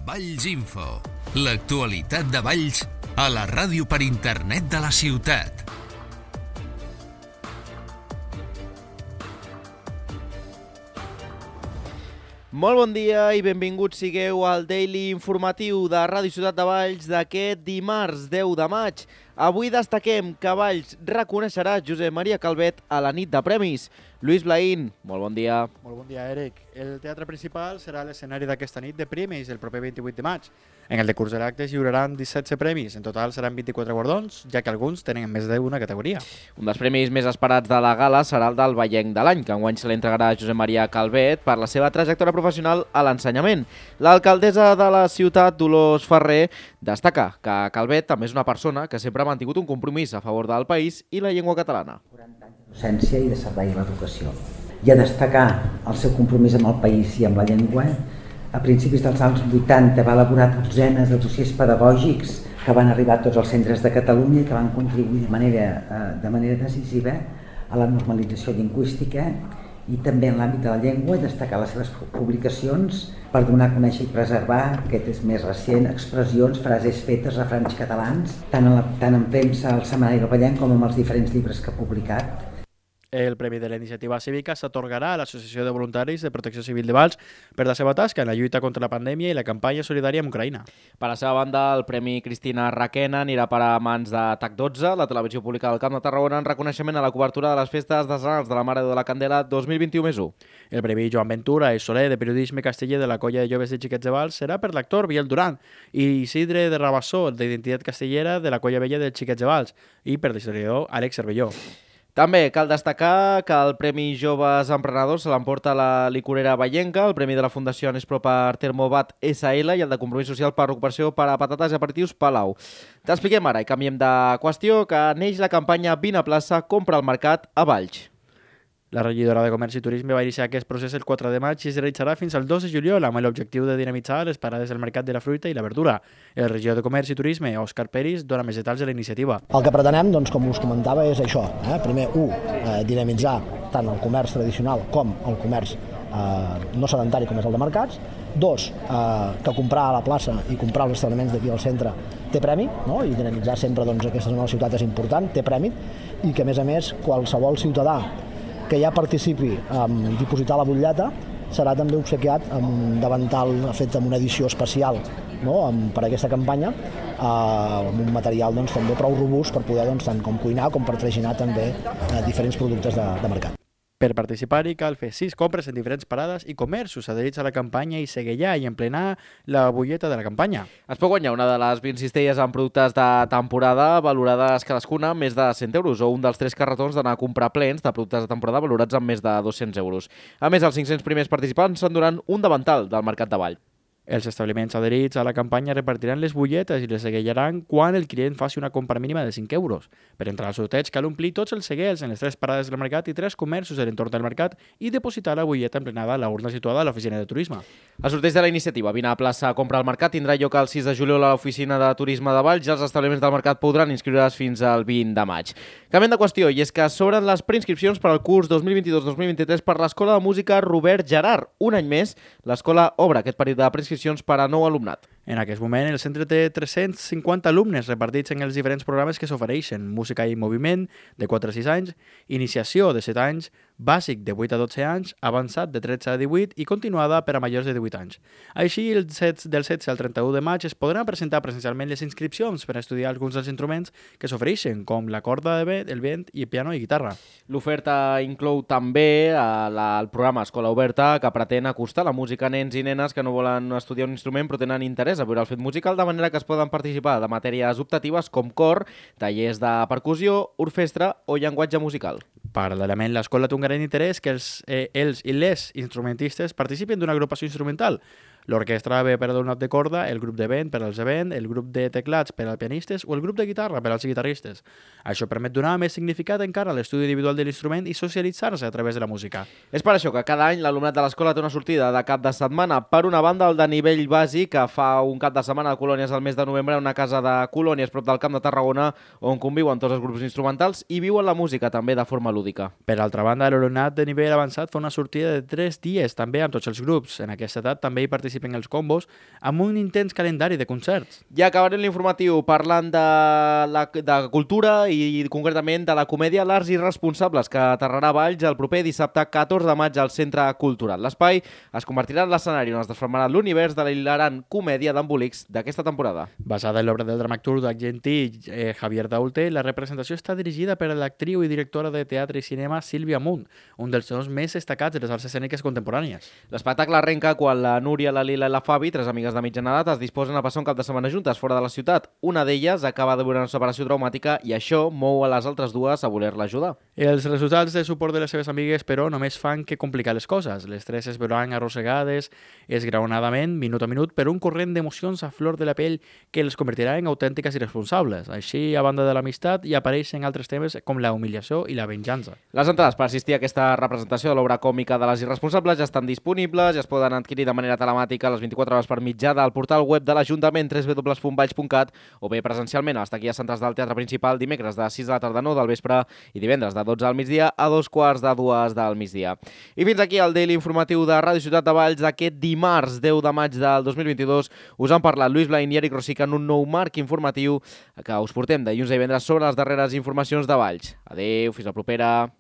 Valls Info, l'actualitat de Valls a la ràdio per internet de la ciutat. Molt bon dia i benvinguts sigueu al Daily Informatiu de Ràdio Ciutat de Valls d'aquest dimarts 10 de maig. Avui destaquem que Valls reconeixerà Josep Maria Calvet a la nit de premis. Lluís Blaín, molt bon dia. Molt bon dia, Eric. El teatre principal serà l'escenari d'aquesta nit de premis el proper 28 de maig. En el decurs de l'acte es lliuraran 17 premis. En total seran 24 guardons, ja que alguns tenen més d'una categoria. Un dels premis més esperats de la gala serà el del Vallenc de l'any, que enguany se l'entregarà a Josep Maria Calvet per la seva trajectòria professional a l'ensenyament. L'alcaldessa de la ciutat, Dolors Ferrer, destaca que Calvet també és una persona que sempre ha mantingut un compromís a favor del país i la llengua catalana. 40 anys de docència i de servei a l'educació. I a destacar el seu compromís amb el país i amb la llengua, a principis dels anys 80 va elaborar dotzenes de dossiers pedagògics que van arribar a tots els centres de Catalunya i que van contribuir de manera decisiva a la normalització lingüística i també en l'àmbit de la llengua i destacar les seves publicacions per donar a conèixer i preservar, aquest és més recent, expressions, frases fetes, refranys catalans, tant en premsa al Setmanari del Vallenc com amb els diferents llibres que ha publicat. El Premi de la Iniciativa Cívica s'atorgarà a l'Associació de Voluntaris de Protecció Civil de Valls per la seva tasca en la lluita contra la pandèmia i la campanya solidària amb Ucraïna. Per la seva banda, el Premi Cristina Raquena anirà per a mans de TAC12, la televisió pública del Camp de Tarragona, en reconeixement a la cobertura de les festes decenals de la Mare de la Candela 2021+1. El Premi Joan Ventura i Soler de Periodisme Casteller de la Colla de Joves de Xiquets de Valls serà per l'actor Biel Duran i Isidre de Rabassó, d'Identitat Castellera de la Colla Vella de Xiquets de Valls i per l'historiador Àlex Cervelló. També cal destacar que el Premi Joves Emprenedors se l'emporta la licorera vallenca, el Premi de la Fundació Nespro per Termobat SL i el de Compromís Social per Recuperació per a Patates i Aperitius Palau. T'expliquem ara i canviem de qüestió que neix la campanya Vine a plaça, compra al mercat a Valls. La regidora de Comerç i Turisme va iniciar aquest procés el 4 de maig i es realitzarà fins al 2 de juliol amb l'objectiu de dinamitzar les parades del mercat de la fruita i la verdura. El regidor de Comerç i Turisme, Òscar Peris, dona més detalls de la iniciativa. El que pretenem, doncs, com us comentava, és això. Primer, dinamitzar tant el comerç tradicional com el comerç no sedentari com és el de mercats. Dos, que comprar a la plaça i comprar als establiments d'aquí al centre té premi, no? I dinamitzar sempre aquesta zona de la ciutat és important, té premi, i que a més qualsevol ciutadà que ja participi en dipositar la butlleta serà també obsequiat amb un davantal fet amb una edició especial, no? Per a aquesta campanya, amb un material també prou robust per poder tant com cuinar com per traginar també diferents productes de mercat. Per participar-hi cal fer 6 compres en diferents parades i comerços adherits a la campanya i seguellar i emplenar la butlleta de la campanya. Es pot guanyar una de les 20 cistelles amb productes de temporada valorades cadascuna més de 100 euros o un dels 3 carretons d'anar a comprar plens de productes de temporada valorats amb més de 200 euros. A més, els 500 primers participants s'enduran un davantal del Mercat de Valls. Els establiments adherits a la campanya repartiran les butlletes i les seguellaran quan el client faci una compra mínima de 5 euros. Per entrar al sorteig cal omplir tots els seguels en les 3 parades del mercat i 3 comerços de l'entorn del mercat i depositar la butlleta emplenada a la urna situada a l'oficina de turisme. El sorteig de la iniciativa Vine a plaça compra al mercat tindrà lloc el 6 de juliol a l'oficina de turisme de Valls i els establiments del mercat podran inscriure's fins al 20 de maig. Canviem de qüestió, i és que s'obren les preinscripcions per al curs 2022-2023 per l'Escola de Música Robert Gerard. Un any més, l'escola obre aquest període de preinscripcions per a nou alumnat. En aquest moment, el centre té 350 alumnes repartits en els diferents programes que s'ofereixen: música i moviment, de 4 a 6 anys, iniciació de 7 anys, bàsic de 8 a 12 anys, avançat de 13 a 18 i continuada per a majors de 18 anys. Així, del 16 al 31 de maig es podran presentar presencialment les inscripcions per a estudiar alguns dels instruments que s'ofereixen, com la corda de vent, el vent i piano i guitarra. L'oferta inclou també el programa Escola Oberta, que pretén acostar la música a nens i nenes que no volen estudiar un instrument però tenen interès a veure el fet musical, de manera que es poden participar de matèries optatives com cor, tallers de percussió, orquestra o llenguatge musical. Paral·lelament, l'escola té un gran interès que els i les instrumentistes participin d'una agrupació instrumental. L'orquestra ve per a l'alumnat de corda, el grup de vent per als de vent, el grup de teclats per als pianistes o el grup de guitarra per als guitarristes. Això permet donar més significat encara a l'estudi individual de l'instrument i socialitzar-se a través de la música. És per això que cada any l'alumnat de l'escola té una sortida de cap de setmana. Per una banda, el de nivell bàsic, que fa un cap de setmana a Colònies al mes de novembre, una casa de Colònies prop del Camp de Tarragona, on conviuen tots els grups instrumentals i viuen la música també de forma lúdica. Per altra banda, l'alumnat de nivell avançat fa una sortida de 3 dies també amb tots els grups. En aquesta edat també hi participen participen els combos, amb un intens calendari de concerts. I acabarem l'informatiu parlant de cultura i concretament de la comèdia L'Arts Irresponsables, que aterrarà a Valls el proper dissabte 14 de maig al Centre Cultural. L'espai es convertirà en l'escenari on es desformarà l'univers de la hilarant comèdia d'embolics d'aquesta temporada. Basada en l'obra del dramaturg argentí Javier Daulte, la representació està dirigida per l'actriu i directora de teatre i cinema Sílvia Munt, un dels noms més destacats de les arts escèniques contemporànies. L'espectacle arrenca quan la Núria, la Lila i la Fabi, tres amigues de mitjana edat, es disposen a passar un cap de setmana juntes fora de la ciutat. Una d'elles acaba de veure una separació traumàtica i això mou a les altres dues a voler-la ajudar. Els resultats de suport de les seves amigues, però, només fan que complicar les coses. Les tres es veuran arrossegades esgraonadament, minut a minut, per un corrent d'emocions a flor de la pell que les convertirà en autèntiques irresponsables. Així, a banda de l'amistat, hi apareixen altres temes com la humiliació i la venjança. Les entrades per assistir a aquesta representació de l'obra còmica de les irresponsables ja estan disponibles i es poden adquirir de manera telemàtica a les 24 hores per mitjà del portal web de l'Ajuntament www.valls.cat o bé presencialment a les taquilles centrals del Teatre Principal dimecres de 6 de la tarda a 9 del vespre i divendres de 12 al migdia a 2:15 del migdia. I fins aquí el Daily Informatiu de Ràdio Ciutat de Valls d'aquest dimarts 10 de maig del 2022. Us han parlat Lluís Blain i Eric Rosica en un nou marc informatiu que us portem dilluns a divendres sobre les darreres informacions de Valls. Adéu, fins la propera.